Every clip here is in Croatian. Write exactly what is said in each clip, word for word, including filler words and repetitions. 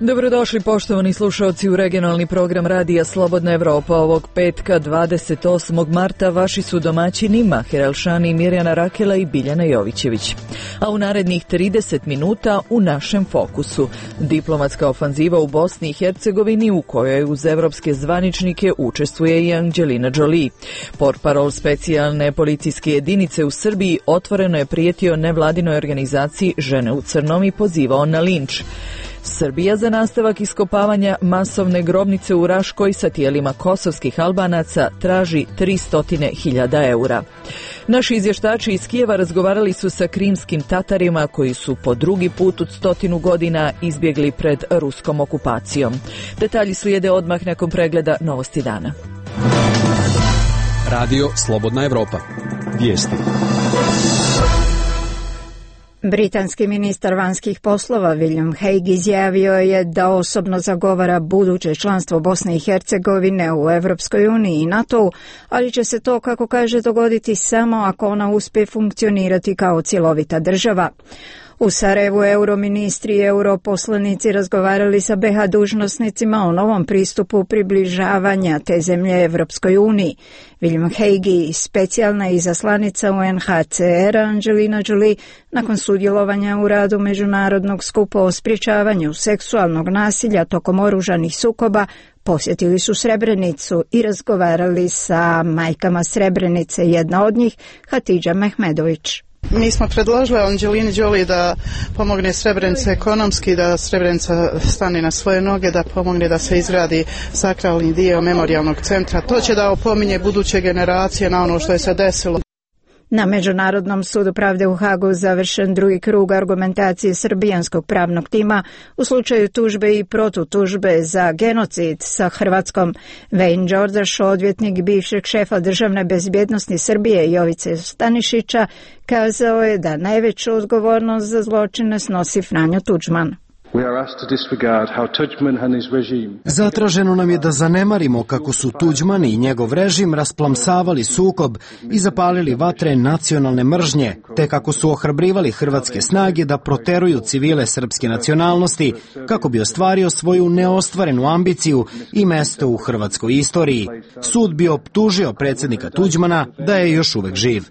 Dobrodošli poštovani slušalci u regionalni program Radija Slobodna Evropa. Ovog petka dvadeset osmog marta vaši su domaćini Mahir Elšani, Mirjana Rakela i Biljana Jovićević. A u narednih trideset minuta u našem fokusu diplomatska ofanziva u Bosni i Hercegovini u kojoj uz evropske zvaničnike učestvuje i Angelina Jolie. Portparol specijalne policijske jedinice u Srbiji otvoreno je prijetio nevladinoj organizaciji Žene u crnom i pozivao na linč. Srbija za nastavak iskopavanja masovne grobnice u Raškoj sa tijelima kosovskih Albanaca traži tristo hiljada eura. Naši izvještači iz Kijeva razgovarali su sa krimskim Tatarima koji su po drugi put od stotinu godina izbjegli pred ruskom okupacijom. Detalji slijede odmah nakon pregleda Novosti dana. Radio Slobodna Evropa. Vijesti. Britanski ministar vanjskih poslova William Hague izjavio je da osobno zagovara buduće članstvo Bosne i Hercegovine u Evropskoj uniji i NATO-u, ali će se to, kako kaže, dogoditi samo ako ona uspije funkcionirati kao cjelovita država. U Sarajevu euroministri i europoslanici razgovarali sa be ha dužnosnicima o novom pristupu približavanja te zemlje Evropskoj uniji. William Hague, specijalna izaslanica u en ha ce er Angelina Jolie, nakon sudjelovanja u radu Međunarodnog skupa o sprječavanju seksualnog nasilja tokom oružanih sukoba, posjetili su Srebrenicu i razgovarali sa majkama Srebrenice, jedna od njih Hatidža Mehmedović. Mi smo predložili Angelini Jolie da pomogne Srebrenici ekonomski, da Srebrenica stane na svoje noge, da pomogne da se izgradi sakralni dio memorijalnog centra. To će da opominje buduće generacije na ono što je se desilo. Na Međunarodnom sudu pravde u Hagu završen drugi krug argumentacije srbijanskog pravnog tima u slučaju tužbe i protutužbe za genocid sa Hrvatskom. Wayne Đorđaš, odvjetnik bivšeg šefa državne bezbjednosti Srbije Jovice Stanišića, kazao je da najveću odgovornost za zločine snosi Franjo Tuđman. Zatraženo nam je da zanemarimo kako su Tuđman i njegov režim rasplamsavali sukob i zapalili vatre nacionalne mržnje, te kako su ohrabrivali hrvatske snage da proteruju civile srpske nacionalnosti kako bi ostvario svoju neostvarenu ambiciju i mesto u hrvatskoj istoriji. Sud bi optužio predsjednika Tuđmana da je još uvek živ.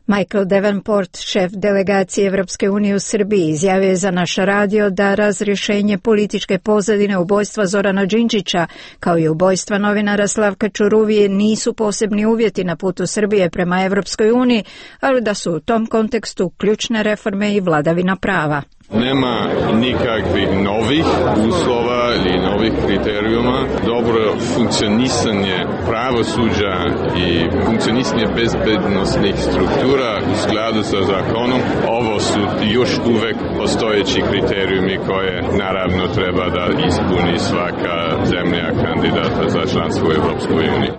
Michael Davenport, šef delegacije Evropske unije u Srbiji, izjavio je za naš radio da razrješenje političke pozadine ubojstva Zorana Đinđića kao i ubojstva novinara Slavka Čuruvije nisu posebni uvjeti na putu Srbije prema Evropskoj uniji, ali da su u tom kontekstu ključne reforme i vladavina prava. Nema nikakvih novih uslova ili novih kriterijuma. Dobro funkcionisanje pravosuđa i funkcionisanje bezbednostnih struktura u skladu sa zakonom, ovo su još uvek postojeći kriterijumi koje naravno treba da ispuni svaka zemlja kandidata za članstvo u Evropskoj uniji.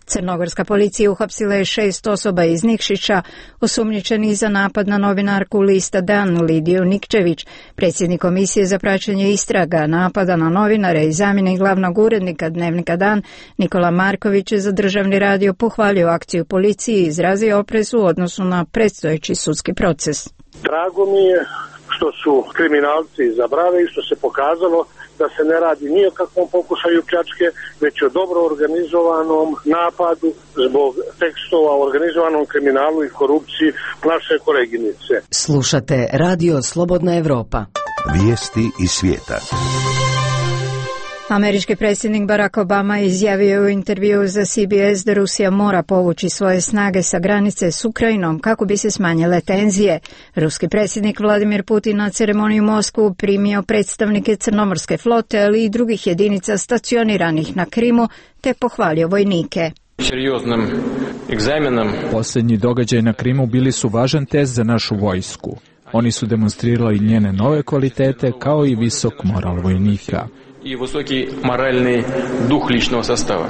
Crnogorska policija uhapsila je šest osoba iz Nikšića, osumnjičeni za napad na novinarku Lista Dan Lidiju Nikčević. Predsjednik Komisije za praćenje istraga napada na novinare i zamjenik glavnog urednika Dnevnika Dan Nikola Marković je za državni radio pohvalio akciju policije i izrazio oprez u odnosu na predstojeći sudski proces. Drago mi je što su kriminalci zabrali i što se pokazalo da se ne radi ni o kakvom pokušaju pljačke, već o dobro organizovanom napadu zbog tekstova o organizovanom kriminalu i korupciji naše koleginice. Slušate Radio Slobodna Evropa. Vijesti iz svijeta. Američki predsjednik Barack Obama izjavio u intervjuu za C B S da Rusija mora povući svoje snage sa granice s Ukrajinom kako bi se smanjile tenzije. Ruski predsjednik Vladimir Putin na ceremoniju u Moskvu primio predstavnike Crnomorske flote, ali i drugih jedinica stacioniranih na Krimu, te pohvalio vojnike. Posljednji događaj na Krimu bili su važan test za našu vojsku. Oni su demonstrirali njene nove kvalitete kao i visok moral vojnika. I visoki moralni duh ličnog sastava.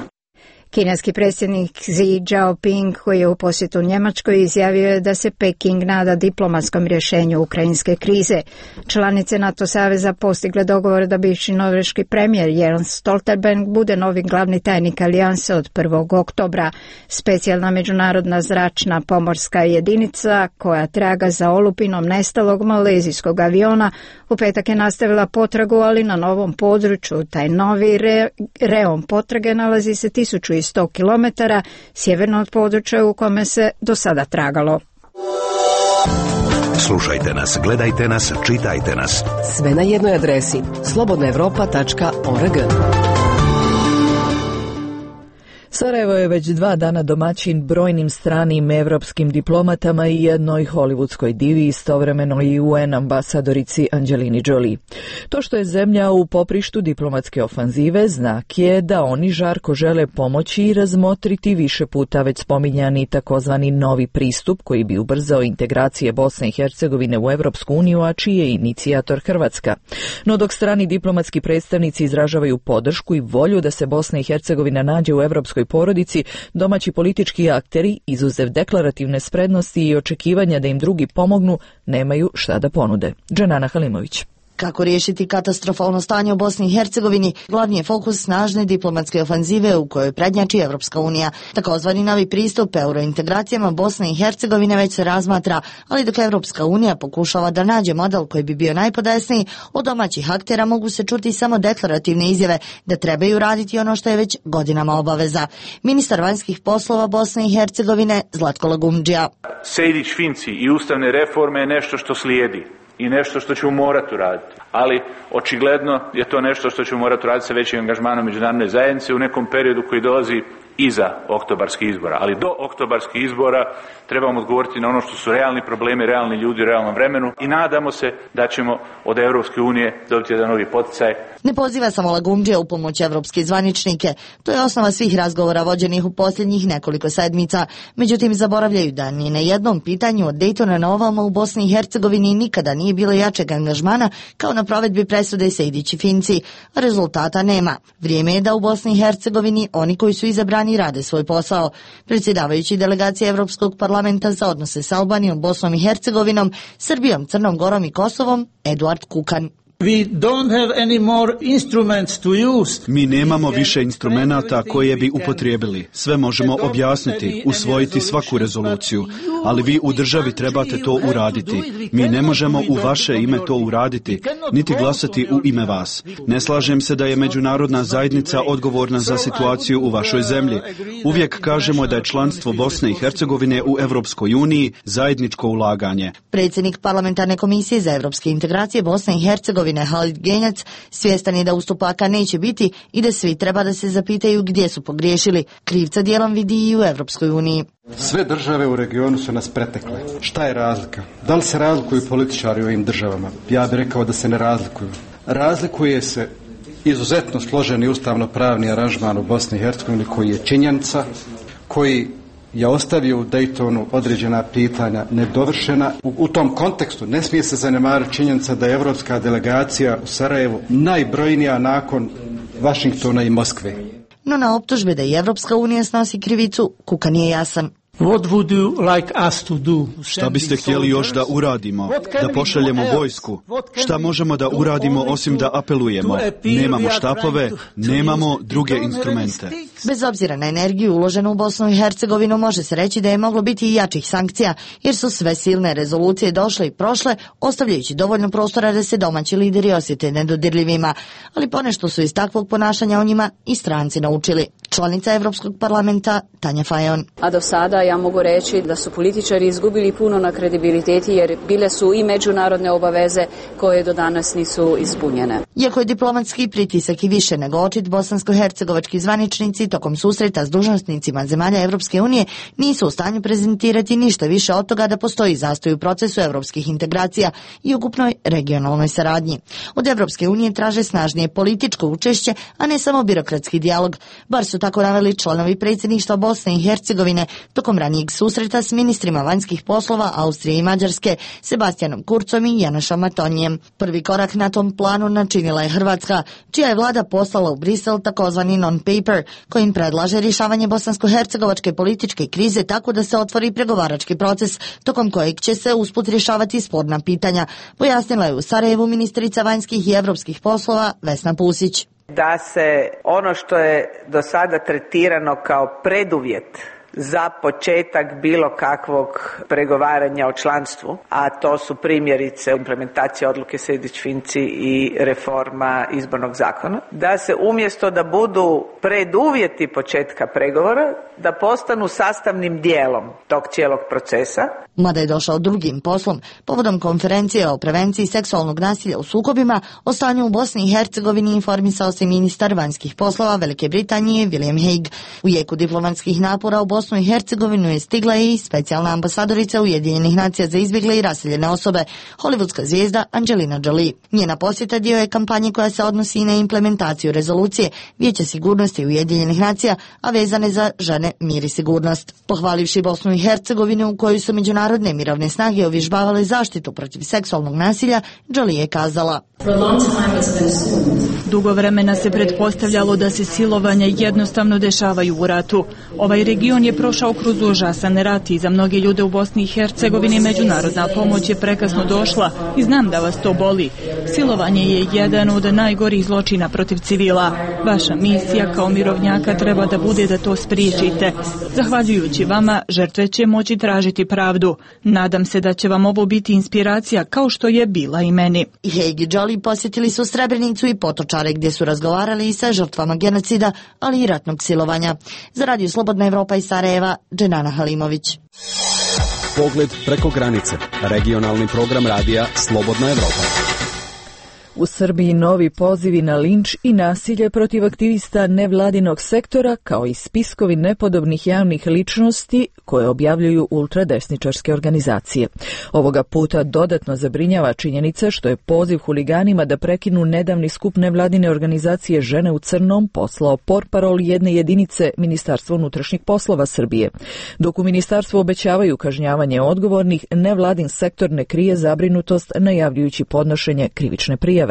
Kineski predsjednik Xi Jinping, koji je u posjetu Njemačkoj, izjavio je da se Peking nada diplomatskom rješenju ukrajinske krize. Članice NATO saveza postigle dogovor da bivši norveški premijer Jens Stoltenberg bude novi glavni tajnik alijanse od prvog oktobra. Specijalna međunarodna zračna pomorska jedinica koja traga za olupinom nestalog malezijskog aviona u petak je nastavila potragu, ali na novom području. Taj novi re, reon potrage nalazi se tisuću sto kilometara sjeverno od područja u kome se do sada tragalo. Slušajte nas, gledajte nas, čitajte nas. Sve na jednoj adresi slobodna europa tačka org. Sarajevo je već dva dana domaćin brojnim stranim evropskim diplomatama i jednoj hollywoodskoj divi, istovremeno i U N ambasadorici Angelini Jolie. To što je zemlja u poprištu diplomatske ofanzive znak je da oni žarko žele pomoći i razmotriti više puta već spominjani takozvani novi pristup koji bi ubrzao integracije Bosne i Hercegovine u Evropsku uniju, a čiji je inicijator Hrvatska. No dok strani diplomatski predstavnici izražavaju podršku i volju da se Bosna i Hercegovina nađe u evropskoj porodici, domaći politički akteri, izuzev deklarativne spretnosti i očekivanja da im drugi pomognu, nemaju šta da ponude. Dženana Halimović. Kako riješiti katastrofalno stanje u Bosni i Hercegovini, glavni je fokus snažne diplomatske ofanzive u kojoj prednjači Evropska unija. Takozvani novi pristup eurointegracijama Bosne i Hercegovine već se razmatra, ali dok Evropska unija pokušava da nađe model koji bi bio najpodesniji, od domaćih aktera mogu se čuti samo deklarativne izjave da trebaju raditi ono što je već godinama obaveza. Ministar vanjskih poslova Bosne i Hercegovine Zlatko Lagumdžija. Sejdić-Finci i ustavne reforme je nešto što slijedi i nešto što ćemo morati uraditi. Ali očigledno je to nešto što ćemo morati uraditi sa većim angažmanom međunarodne zajednice u nekom periodu koji dolazi iza oktobarskih izbora. Ali do oktobarskih izbora trebamo odgovoriti na ono što su realni problemi, realni ljudi u realnom vremenu i nadamo se da ćemo od Evropske unije dobiti jedan novi poticaj. Ne poziva samo Lagumdžija u pomoć evropske zvaničnike. To je osnova svih razgovora vođenih u posljednjih nekoliko sedmica. Međutim, zaboravljaju da ni na jednom pitanju od Dejtona na ovamo u Bosni i Hercegovini nikada nije bilo jačeg angažmana kao na provedbi presude Sejdić i Finci. Rezultata nema. Vrijeme je da u Bosni i Hercegovini oni koji su izabrani rade svoj posao. Predsjedavajući delegacije Evropskog parlamenta za odnose s Albanijom, Bosnom i Hercegovinom, Srbijom, Crnom Gorom i Kosovom, Eduard Kukan. We don't have any more instruments to use. Mi nemamo više instrumenata koje bi upotrijebili. Sve možemo objasniti, usvojiti svaku rezoluciju, ali vi u državi trebate to uraditi. Mi ne možemo u vaše ime to uraditi, niti glasati u ime vas. Ne slažem se da je međunarodna zajednica odgovorna za situaciju u vašoj zemlji. Uvijek kažemo da je članstvo Bosne i Hercegovine u Evropskoj uniji zajedničko ulaganje. Predsjednik parlamentarne komisije za evropske integracije Bosne i Hercegovine Halid Genjac svjestan je da ustupaka neće biti i da svi treba da se zapitaju gdje su pogriješili. Krivca dijelom vidi i u Evropskoj uniji. Sve države u regionu su nas pretekle. Šta je razlika? Da li se razlikuju političari u ovim državama? Ja bih rekao da se ne razlikuju. Razlikuje se izuzetno složeni ustavno-pravni aranžman u Bosni i Hercegovini koji je činjenica, koji je ostavio u Daytonu određena pitanja nedovršena. U, u tom kontekstu ne smije se zanemariti činjenica da je evropska delegacija u Sarajevu najbrojnija nakon Vašingtona i Moskve. No na optužbe da i Evropska unija snosi krivicu, Kukan nije jasan. What would you like us to do? Šta biste htjeli još da uradimo? Da pošaljemo vojsku? Šta možemo da uradimo osim da apelujemo? Nemamo štapove, nemamo druge instrumente. Bez obzira na energiju uloženu u Bosnu i Hercegovinu može se reći da je moglo biti i jačih sankcija, jer su sve silne rezolucije došle i prošle, ostavljajući dovoljno prostora da se domaći lideri osjete nedodirljivima. Ali ponešto su iz takvog ponašanja o njima i stranci naučili. Članica Evropskog parlamenta Tanja Fajon. A do sada ja mogu reći da su političari izgubili puno na kredibiliteti jer bile su i međunarodne obaveze koje do danas nisu ispunjene. Iako je diplomatski pritisak i više nego očit, bosansko-hercegovački zvaničnici tokom susreta s dužnosnicima zemalja Evropske unije nisu u stanju prezentirati ništa više od toga da postoji zastoj u procesu evropskih integracija i ukupnoj regionalnoj saradnji. Od Evropske unije traže snažnije političko učešće, a ne samo birokratski dijalog, bar su su tako naveli članovi predsjedništva Bosne i Hercegovine tokom ranijeg susreta s ministrima vanjskih poslova Austrije i Mađarske, Sebastianom Kurcom i Janošom Matonjem. Prvi korak na tom planu načinila je Hrvatska, čija je vlada poslala u Brisel takozvani non-paper, kojim predlaže rješavanje bosansko-hercegovačke političke krize tako da se otvori pregovarački proces, tokom kojeg će se usput rješavati sporna pitanja, pojasnila je u Sarajevu ministrica vanjskih i europskih poslova Vesna Pusić. Da se ono što je do sada tretirano kao preduvjet za početak bilo kakvog pregovaranja o članstvu, a to su primjerice implementacija odluke Sejdić-Finci i reforma izbornog zakona, da se umjesto da budu preduvjeti početka pregovora, da postanu sastavnim dijelom tog cijelog procesa. Mada je došao drugim poslom, povodom konferencije o prevenciji seksualnog nasilja u sukobima, o stanju u Bosni i Hercegovini informisao se ministar vanjskih poslova Velike Britanije William Hague. U jeku diplomatskih napora u Bosnu i Hercegovinu je stigla i specijalna ambasadorica Ujedinjenih nacija za izbjegle i raseljene osobe, hollywoodska zvijezda Angelina Jolie. Njena posjeta dio je kampanje koja se odnosi na implementaciju rezolucije Vijeća sigurnosti Ujedinjenih nacija, a vezane za žene, mir i sigurnost. Pohvalivši Bosnu i Hercegovinu u kojoj su međunarodne mirovne snage uvježbavale zaštitu protiv seksualnog nasilja, Jolie je kazala: Dugo vremena se pretpostavljalo da se silovanja jednostavno dešavaju u ratu. Ovaj region je prošao kroz užasan rat i za mnoge ljude u Bosni i Hercegovini međunarodna pomoć je prekasno došla i znam da vas to boli. Silovanje je jedan od najgorih zločina protiv civila. Vaša misija kao mirovnjaka treba da bude da to spriječite. Zahvaljujući vama, žrtve će moći tražiti pravdu. Nadam se da će vam ovo biti inspiracija kao što je bila i meni. I Hague i Jolie posjetili su Srebrenicu i Potočare gdje su razgovarali i sa žrtvama genocida, ali i ratnog silovanja. Za Radio Slobodna Evropa iz Sarajeva, Dženana Halimović. Pogled preko granice. Regionalni program radija Slobodna Evropa. U Srbiji novi pozivi na linč i nasilje protiv aktivista nevladinog sektora, kao i spiskovi nepodobnih javnih ličnosti koje objavljuju ultradesničarske organizacije. Ovoga puta dodatno zabrinjava činjenica što je poziv huliganima da prekinu nedavni skup nevladine organizacije Žene u crnom poslao portparol jedne jedinice Ministarstva unutrašnjih poslova Srbije. Dok u ministarstvu obećavaju kažnjavanje odgovornih, nevladin sektor ne krije zabrinutost najavljujući podnošenje krivične prijave.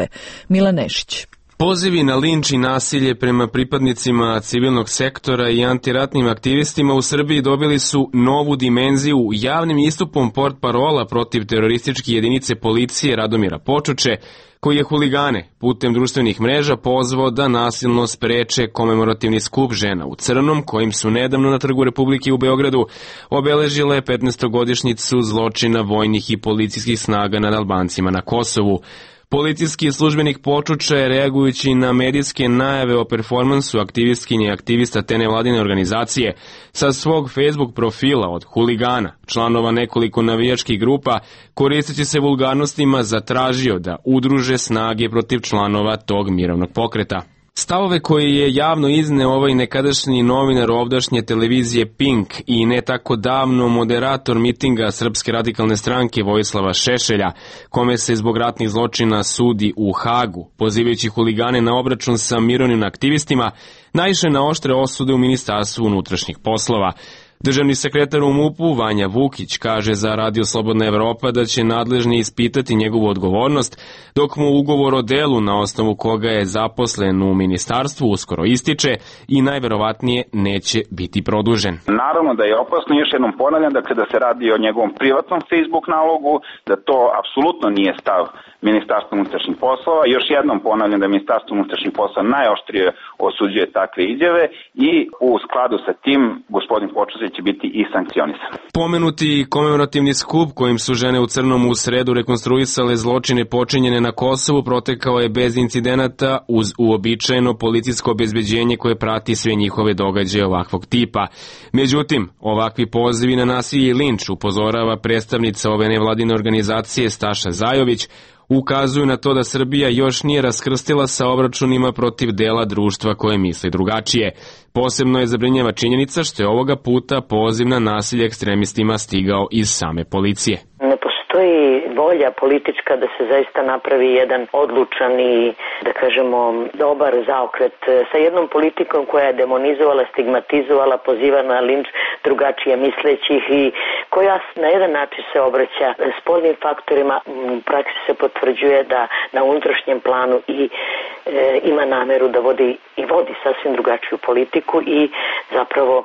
Milan Nešić. Pozivi na linč i nasilje prema pripadnicima civilnog sektora i antiratnim aktivistima u Srbiji dobili su novu dimenziju javnim istupom portparola protiv terorističke jedinice policije Radomira Počuče, koji je huligane putem društvenih mreža pozvao da nasilno spreče komemorativni skup Žena u crnom, kojim su nedavno na Trgu Republike u Beogradu obeležile petnaestogodišnjicu zločina vojnih i policijskih snaga nad Albancima na Kosovu. Policijski službenik Počuča je, reagujući na medijske najave o performansu aktivistkinje i aktivista te nevladine organizacije, sa svog Facebook profila od huligana, članova nekoliko navijačkih grupa, koristeći se vulgarnostima, zatražio da udruže snage protiv članova tog mirovnog pokreta. Stavove koje je javno izneo ovaj nekadašnji novinar ovdašnje televizije Pink i ne tako davno moderator mitinga Srpske radikalne stranke Vojislava Šešelja, kome se zbog ratnih zločina sudi u Hagu, pozivajući huligane na obračun sa mirovnim aktivistima, naišle na oštre osude u Ministarstvu unutrašnjih poslova. Državni sekretar u MUP-u Vanja Vukić kaže za Radio Slobodna Evropa da će nadležni ispitati njegovu odgovornost, dok mu ugovor o delu na osnovu koga je zaposlen u ministarstvu uskoro ističe i najverovatnije neće biti produžen. Naravno da je opasno, još jednom ponavljam, da kada se radi o njegovom privatnom Facebook nalogu, da to apsolutno nije stav Ministarstva unutrašnjih poslova. Još jednom ponavljam da Ministarstvo unutrašnjih poslova najoštrije osuđuje takve izjave i u skladu sa tim gospodin Počučić će biti i sankcionisan. Pomenuti komemorativni skup kojim su Žene u crnom u sredu rekonstruisale zločine počinjene na Kosovu protekao je bez incidenata uz uobičajeno policijsko obezbeđenje koje prati sve njihove događaje ovakvog tipa. Međutim, ovakvi pozivi na nasilje i linč, upozorava predstavnica ove nevladine organizacije Staša Zajović, ukazuju na to da Srbija još nije raskrstila sa obračunima protiv dela društva koje misli drugačije. Posebno je zabrinjava činjenica što je ovoga puta poziv na nasilje ekstremistima stigao iz same policije. Ne postoji postoji volja politička da se zaista napravi jedan odlučan i, da kažemo, dobar zaokret sa jednom politikom koja je demonizovala, stigmatizovala, poziva na linč drugačije mislećih i koja na jedan način se obraća spoljnim faktorima. U praksi se potvrđuje da na unutrašnjem planu i e, ima nameru da vodi i vodi sasvim drugačiju politiku i zapravo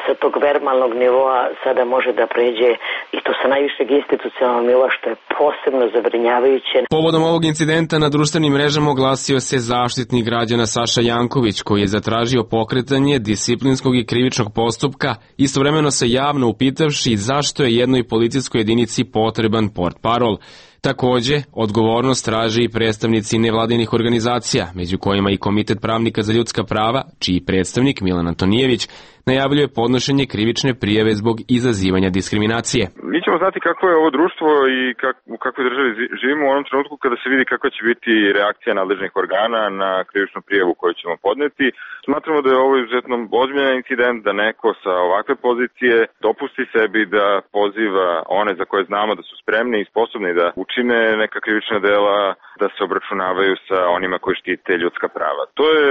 sa tog verbalnog nivoa sada može da pređe i to sa najvišeg institucionalnog nivoa, što je posebno zabrinjavajuće. Povodom ovog incidenta na društvenim mrežama oglasio se Zaštitnik građana Saša Janković, koji je zatražio pokretanje disciplinskog i krivičnog postupka, istovremeno se javno upitavši zašto je jednoj policijskoj jedinici potreban portparol. Takođe, odgovornost traže i predstavnici nevladinih organizacija, među kojima i Komitet pravnika za ljudska prava, čiji predstavnik Milan Antonijević najavljuje podnošenje krivične prijave zbog izazivanja diskriminacije. Mi ćemo znati kako je ovo društvo i kak, u kakvoj državi živimo u onom trenutku kada se vidi kakva će biti reakcija nadležnih organa na krivičnu prijavu koju ćemo podneti. Smatramo da je ovo izuzetno ozbiljan incident, da neko sa ovakve pozicije dopusti sebi da poziva one za koje znamo da su spremni i sposobni da učine neka krivična dela, da se obračunavaju sa onima koji štite ljudska prava. To je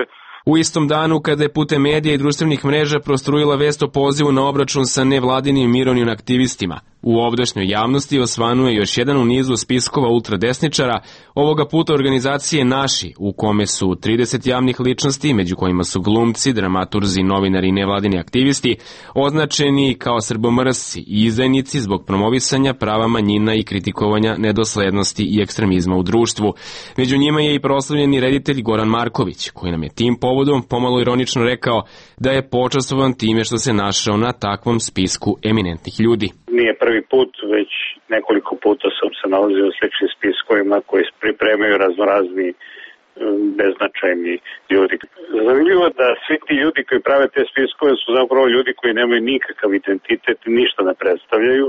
U istom danu kada je putem medija i društvenih mreža prostrujila vest o pozivu na obračun sa nevladinim mirovnim aktivistima, u ovdašnjoj javnosti osvanuje još jedan u nizu spiskova ultradesničara, ovoga puta organizacije Naši, u kome su trideset javnih ličnosti, među kojima su glumci, dramaturzi, novinari i nevladini aktivisti, označeni kao srbomrsci i izdajnici zbog promovisanja prava manjina i kritikovanja nedoslednosti i ekstremizma u društvu. Među njima je i proslavljeni reditelj Goran Marković, koji nam je tim povodom pomalo ironično rekao da je počastvovan time što se našao na takvom spisku eminentnih ljudi. Nije prvi put, već nekoliko puta sam se nalazio u sličnim spiskovima koji pripremaju raznorazni beznačajni ljudi. Zanimljivo da svi ti ljudi koji prave te spiskove su zapravo ljudi koji nemaju nikakav identitet i ništa ne predstavljaju,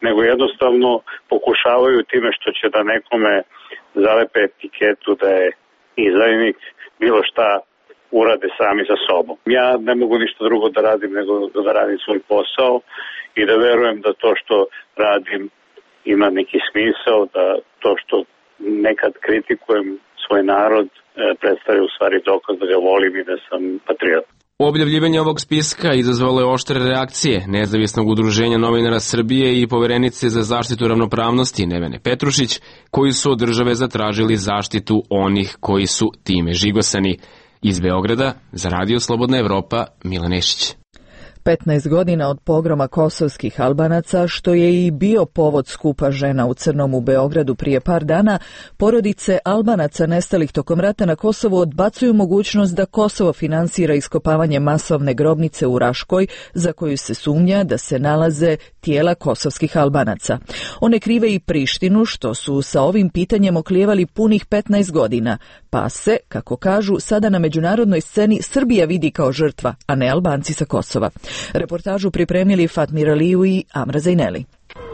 nego jednostavno pokušavaju time što će da nekome zalepe etiketu da je izdajnik, bilo šta urade sami za sobom. Ja ne mogu ništa drugo da radim nego da radim svoj posao i da verujem da to što radim ima neki smisao, da to što nekad kritikujem svoj narod predstavlja u stvari dokaz da ga volim i da sam patriot. Objavljivanje ovog spiska izazvalo je oštre reakcije Nezavisnog udruženja novinara Srbije i Poverenice za zaštitu ravnopravnosti Nevene Petrušić, koji su od države zatražili zaštitu onih koji su time žigosani. Iz Beograda, za Radio Slobodna Evropa, Milan Nešić. petnaest godina od pogroma kosovskih Albanaca, što je i bio povod skupa žena u Crnom u Beogradu prije par dana, porodice Albanaca nestalih tokom rata na Kosovu odbacuju mogućnost da Kosovo finansira iskopavanje masovne grobnice u Raškoj, za koju se sumnja da se nalaze tijela kosovskih Albanaca. One krive i Prištinu, što su sa ovim pitanjem oklijevali punih petnaest godina, pa se, kako kažu, sada na međunarodnoj sceni Srbija vidi kao žrtva, a ne Albanci sa Kosova. Reportažu pripremili Fatmir Aliju i Amra Zajneli.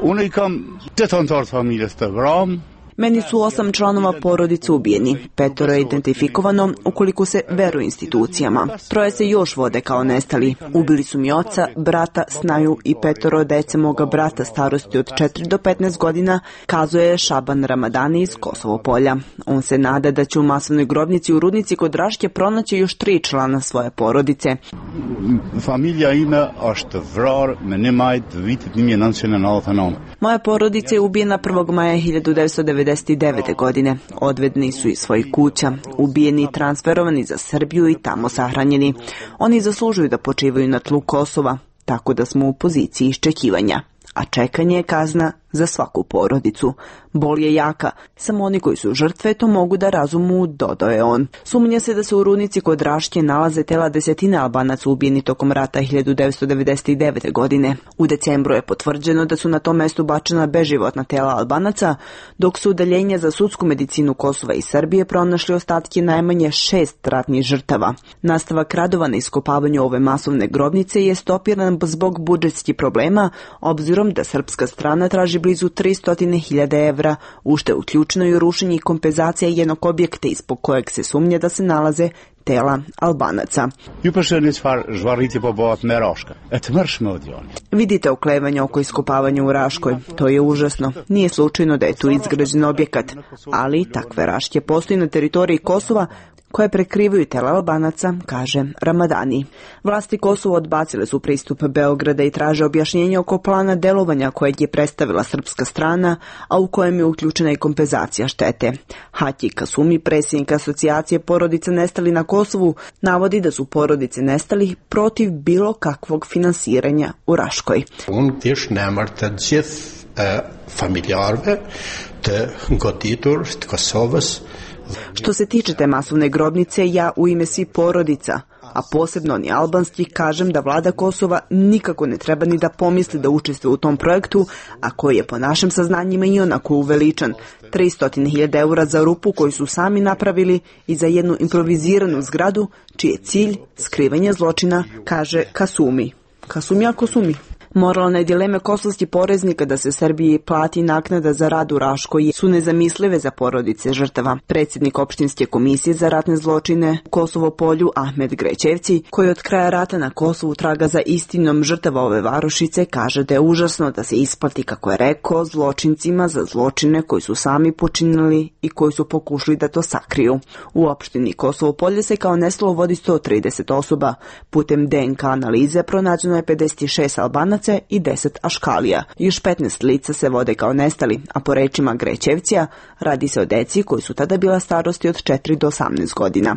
Unë i kam tetantar familjes të vram. Meni su osam članova porodice ubijeni, petoro je identifikovano ukoliko se veruje institucijama. Troje se još vode kao nestali. Ubili su mi oca, brata, snaju i petoro dece moga brata starosti od četiri do petnaest godina, kazuje Šaban Ramadani iz Kosovo polja. On se nada da će u masovnoj grobnici u Rudnici kod Raške pronaći još tri člana svoje porodice. Familija ime është vrar me një majt vitit një mijë e nëntëqind e nëntëdhjetë e nëntë. Moja porodica je ubijena prvog maja hiljadu devetsto devedeset devete. godine. Odvedeni su iz svojih kuća, ubijeni i transferovani za Srbiju i tamo sahranjeni. Oni zaslužuju da počivaju na tlu Kosova, tako da smo u poziciji iščekivanja. A čekanje je kazna za svaku porodicu. Bol je jaka, samo oni koji su žrtve to mogu da razumu, dodao je on. Sumnja se da se u Rudnici kod Raške nalaze tela desetine Albanaca ubijeni tokom rata hiljadu devetsto devedeset devete. godine. U decembru je potvrđeno da su na tom mestu bačena beživotna tela Albanaca, dok su udaljenja za sudsku medicinu Kosova i Srbije pronašli ostatke najmanje šest ratnih žrtava. Nastavak radova na iskopavanju ove masovne grobnice je stopiran zbog budžetskih problema, obzirom da srpska strana traži blizu tristo hiljada evra evra, u što je uključeno i rušenje i kompenzacija jednog objekta ispod kojeg se sumnja da se nalaze tela Albanaca. Vidite oklevanje oko iskopavanja u Raškoj. To je užasno. Nije slučajno da je tu izgrađen objekat, ali takve raške postoji na teritoriji Kosova koje prekrivaju tela Albanaca, kaže Ramadani. Vlasti Kosova odbacile su pristup Beograda i traže objašnjenje oko plana delovanja kojeg je predstavila srpska strana, a u kojem je uključena i kompenzacija štete. Hati Kasumi, predsjednik asocijacije porodica nestali na Kosovu, navodi da su porodice nestali protiv bilo kakvog finansiranja u Raškoj. Što se tiče te masovne grobnice, ja u ime svih porodica, a posebno oni albanski, kažem da vlada Kosova nikako ne treba ni da pomisli da učestvuje u tom projektu, a koji je po našim saznanjima i onako uveličan. tristo hiljada eura za rupu koju su sami napravili i za jednu improviziranu zgradu, čiji je cilj skrivanje zločina, kaže Kasumi. Kasumi, a Kasumi. Moralne dileme kosovskih poreznika da se Srbiji plati naknada za rad u Raškoj su nezamislive za porodice žrtava. Predsjednik opštinske komisije za ratne zločine u Kosovo polju Ahmed Grećevci, koji od kraja rata na Kosovu traga za istinom žrtava ove varošice, kaže da je užasno da se isplati, kako je rekao, zločincima za zločine koji su sami počinili i koji su pokušali da to sakriju. U opštini Kosovo polje se kao nestalo vodi sto trideset osoba. Putem D N K analize pronađeno je pedeset šest Albanaca i deset Aškalija. Još petnaest lica se vode kao nestali, a po rečima Grećevcija radi se o deci koji su tada bila starosti od četiri do osamnaest godina.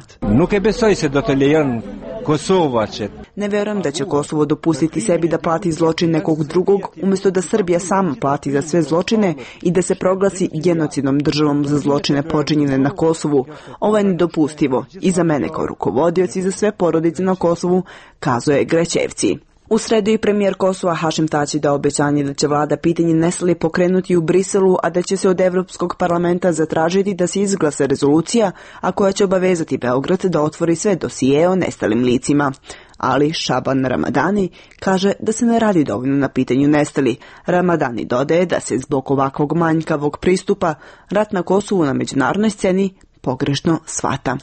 Ne verujem da će Kosovo dopustiti sebi da plati zločin nekog drugog, umjesto da Srbija sama plati za sve zločine i da se proglasi genocidnom državom za zločine počinjene na Kosovu. Ovo je nedopustivo i za mene kao rukovodioc i za sve porodice na Kosovu, kazuje Grećevci. U sredu i premijer Kosova Hašim Tači dao obećanje da će vlada pitanje nestalih pokrenuti u Briselu, a da će se od Evropskog parlamenta zatražiti da se izglasa rezolucija, a koja će obavezati Beograd da otvori sve dosije o nestalim licima. Ali Šaban Ramadani kaže da se ne radi dovoljno na pitanju nestali. Ramadani dodaje da se zbog ovakvog manjkavog pristupa rat na Kosovu na međunarodnoj sceni pogrešno shvata.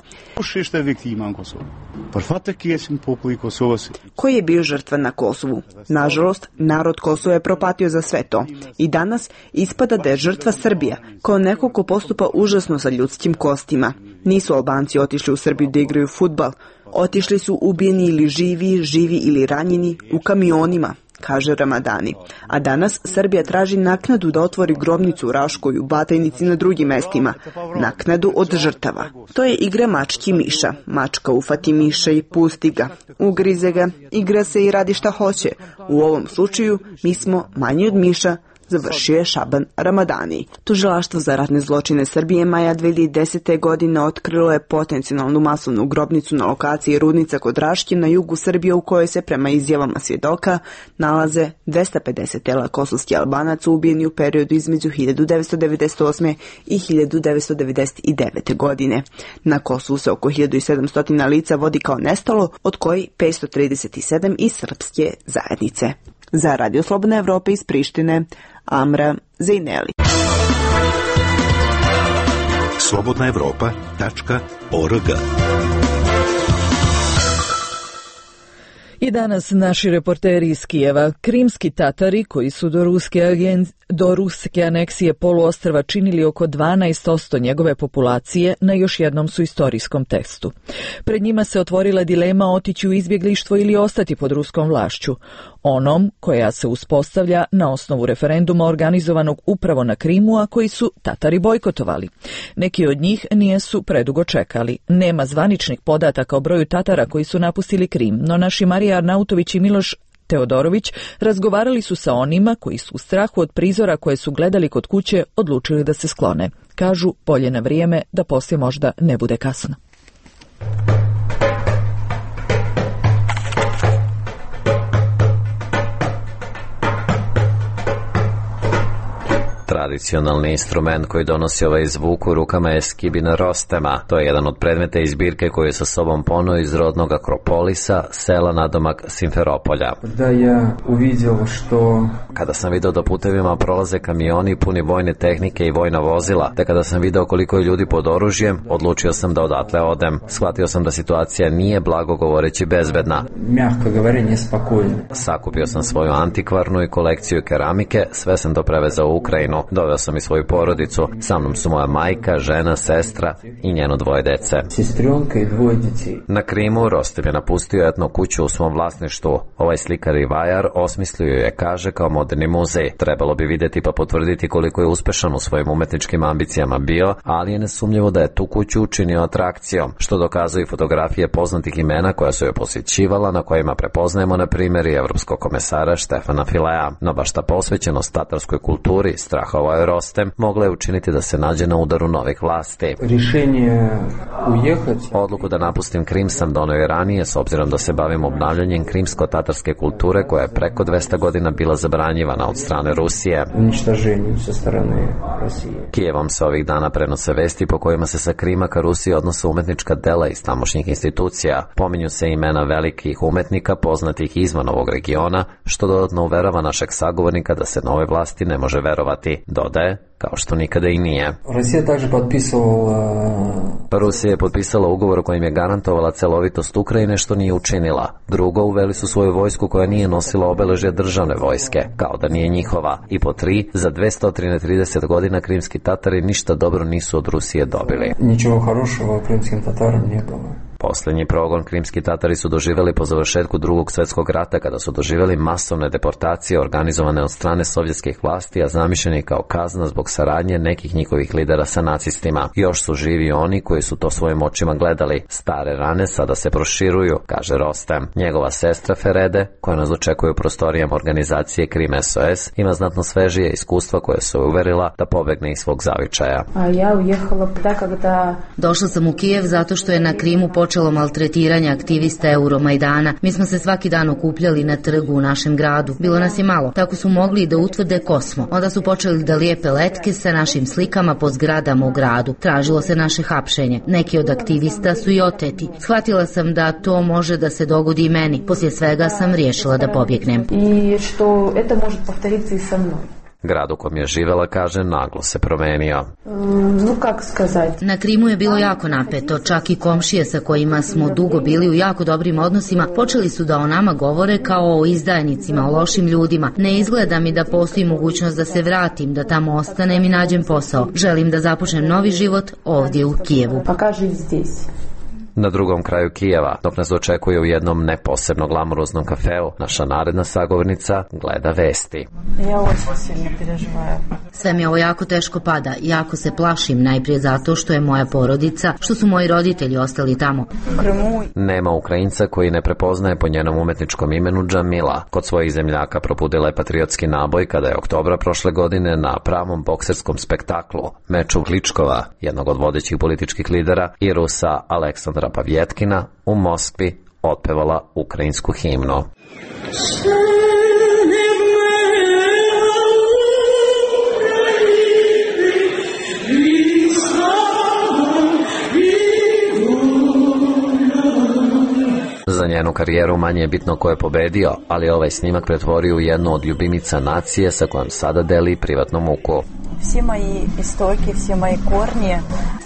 Koji je bio žrtva na Kosovu? Nažalost, narod Kosova je propatio za sve to. I danas ispada da je žrtva Srbija, kao neko ko postupa užasno sa ljudskim kostima. Nisu Albanci otišli u Srbiju da igraju fudbal. Otišli su ubijeni ili živi, živi ili ranjeni u kamionima, kaže Ramadani. A danas Srbija traži naknadu da otvori grobnicu u Raškoj, u Batajnici i na drugim mestima. Naknadu od žrtava. To je igra mački miša. Mačka ufati miša i pusti ga. Ugrize ga, igra se i radi šta hoće. U ovom slučaju mi smo manji od miša, završio je Šaban Ramadani. Tužilaštvo za ratne zločine Srbije maja dve hiljade desete. godine otkrilo je potencijalnu masovnu grobnicu na lokaciji Rudnica kod Raške na jugu Srbije, u kojoj se prema izjavama svjedoka nalaze dvesta pedeset tela kosovskih Albanaca ubijeni u periodu između hiljadu devetsto devedeset osme. i hiljadu devetsto devedeset devete. godine. Na Kosovu se oko hiljadu sedamsto lica vodi kao nestalo, od kojih petsto trideset sedam iz srpske zajednice. Za Radio Slobodna Evropa iz Prištine, Amra Zejneli. slobodna evropa tačka org. I danas naši reporteri iz Kijeva, krimski Tatari koji su do ruske, agen... do ruske aneksije poluostrva činili oko dvanaest posto njegove populacije, na još jednom su istorijskom testu. Pred njima se otvorila dilema otići u izbjeglištvo ili ostati pod ruskom vlašću, onom koja se uspostavlja na osnovu referenduma organizovanog upravo na Krimu, a koji su Tatari bojkotovali. Neki od njih nijesu predugo čekali. Nema zvaničnih podataka o broju Tatara koji su napustili Krim, no naši Marija Arnautović i Miloš Teodorović razgovarali su sa onima koji su u strahu od prizora koje su gledali kod kuće odlučili da se sklone. Kažu, bolje na vrijeme da poslije možda ne bude kasno. Tradicionalni instrument koji donosi ovaj zvuk u rukama je skibina rostema. To je jedan od predmeta iz zbirke koju je sa sobom poneo iz rodnog Akropolisa, sela nadomak Simferopolja. Da ja uvidio što... Kada sam video da putevima prolaze kamioni puni vojne tehnike i vojna vozila, te kada sam video koliko je ljudi pod oružjem, odlučio sam da odatle odem. Shvatio sam da situacija nije, blago govoreći, bezbedna. Mjako govore, nespokojno. Sakupio sam svoju antikvarnu i kolekciju keramike, sve sam to prevezao u Ukrajinu. Doveo sam i svoju porodicu. Sa mnom su moja majka, žena, sestra i njeno dvoje dece. Sestrionka i dvoje djeci. Na Krimu Rostem je napustio etno kuću u svom vlasništvu. Ovaj slikar i vajar osmislio je, kaže, kao moderni muzej. Trebalo bi vidjeti pa potvrditi koliko je uspešan u svojim umetničkim ambicijama bio, ali je nesumnjivo da je tu kuću učinio atrakcijom, što dokazuju i fotografije poznatih imena koja su je posjećivala, na kojima prepoznajemo na primjer i evropskog komesara Štefana Filea. No baš ta posvećenost tatarskoj kulturi, strahovao je Rostem, mogla je učiniti da se nađe na udaru novih vlasti. Rješenje ujehati. Odluku da napustim Krim sam donio i ranije, s obzirom da se bavim obnavljanjem krimsko-tatarske kulture koja je preko dvesta godina bila zabranjivana od strane Rusije. Uništaženjem sa strane Rusije. Kijevom se ovih dana prenose vesti po kojima se sa Krima ka Rusiji odnose umetnička dela iz tamošnjih institucija. Pominju se imena velikih umetnika poznatih izvan ovog regiona, što dodatno uverava našeg sagovornika da se nove vlasti ne može verovati. Dodaje, kao što nikada i nije. Rusija također potpisovala... Rusija je potpisala ugovor kojim je garantovala celovitost Ukrajine, što nije učinila. Drugo, uveli su svoju vojsku koja nije nosila obeležje državne vojske, kao da nije njihova. I po tri, za dvesta trideset godina krimski Tatari ništa dobro nisu od Rusije dobili. Ničego хорошего krimskim Tatarom nije bilo. Posljednji progon krimski Tatari su doživjeli po završetku drugog svjetskog rata, kada su doživjeli masovne deportacije organizovane od strane sovjetskih vlasti, a zamišljeni kao kazna zbog saradnje nekih njihovih lidera sa nacistima. Još su živi oni koji su to svojim očima gledali. Stare rane sada se proširuju, kaže Rostem. Njegova sestra Ferede, koja nas očekuje u prostorijama organizacije Krim S O S, ima znatno svežije iskustva koje su uverila da pobegne iz svog zavičaja. A ja ujehala da kada... Došla sam u Kijev zato što je na Krimu počelo maltretiranje aktivista Euromajdana. Mi smo se svaki dan okupljali na trgu u našem gradu. Bilo nas je malo. Tako su mogli da utvrde ko smo. Onda su počeli da lijepe letke sa našim slikama po zgradama u gradu. Tražilo se naše hapšenje. Neki od aktivista su i oteti. Shvatila sam da to može da se dogodi i meni. Poslije svega sam riješila da pobjegnem. I što eto može povtoriti i sa mnom. Grad u kom je živela, kaže, naglo se promenio. No, kako skazati? Na Krimu je bilo jako napeto, čak i komšije sa kojima smo dugo bili u jako dobrim odnosima počeli su da o nama govore kao o izdajnicima, o lošim ljudima. Ne izgleda mi da postoji mogućnost da se vratim, da tamo ostanem i nađem posao. Želim da započnem novi život ovdje u Kijevu. Pa kaži zdjes. Na drugom kraju Kijeva, dok nas očekuje u jednom neposebno glamuroznom kafeu, naša naredna sagovornica gleda vesti. Ja ovo silno preživaju. Sve mi ovo jako teško pada, jako se plašim, najprije zato što je moja porodica, što su moji roditelji ostali tamo. Nema Ukrajinca koji ne prepoznaje po njenom umetničkom imenu Džamila. Kod svojih zemljaka propudila je patriotski naboj kada je oktobra prošle godine na pravom bokserskom spektaklu, meču Kličkova, jednog od vodećih političkih lidera, i Rusa Aleksandra Pavjetkina u Moskvi otpevala ukrajinsku himnu. Za njenu karijeru manje je bitno ko je pobedio, ali ovaj snimak pretvorio u jednu od ljubinica nacije sa kojom sada deli privatnu muku. Svi moji istoki, svi moji kornije.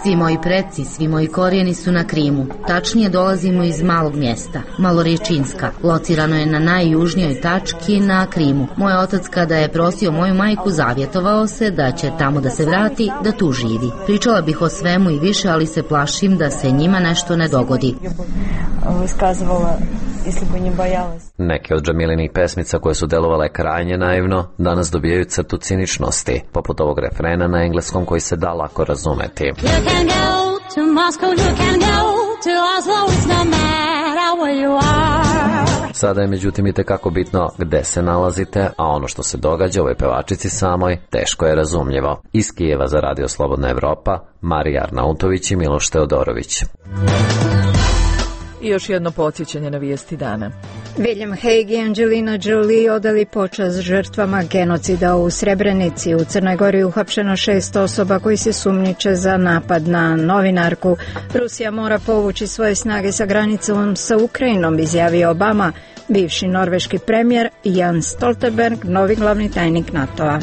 Svi moji preci, svi moji korijeni su na Krimu. Tačnije dolazimo iz malog mjesta, Malorječinska. Locirano je na najjužnijoj tački na Krimu. Moj otac kada je prosio moju majku zavjetovao se da će tamo da se vrati, da tu živi. Pričala bih o svemu i više, ali se plašim da se njima nešto ne dogodi. Iskazivala, isli bi ne bojala. Neke od Džamilinih pesmica koje su delovale krajnje naivno danas dobijaju crtu ciničnosti, poput ovog refrena na engleskom koji se da lako razumeti. You can go to Moscow, you can go to Oslo, it's no matter where you are. Sada je međutim i tekako bitno gde se nalazite, a ono što se događa ovoj pevačici samoj teško je razumljivo. Iz Kijeva za Radio Slobodna Evropa, Marija Arnautović i Miloš Teodorović. I još jedno podsjećanje na vijesti dana. William Hague i Angelina Jolie odali počast žrtvama genocida u Srebrenici. U Crnoj Gori uhapšeno šest osoba koji se sumnjiče za napad na novinarku. Rusija mora povući svoje snage sa granicom sa Ukrajinom, izjavio Obama. Bivši norveški premijer Jens Stoltenberg, novi glavni tajnik NATO-a.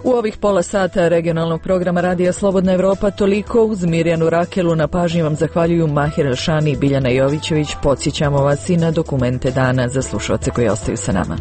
U ovih pola sata regionalnog programa Radija Slobodna Evropa toliko. Uz Mirjanu Rakelu na pažnji vam zahvaljuju Mahir Elšani i Biljana Jovićević. Podsjećamo vas i na dokumente dana za slušalce koji ostaju sa nama.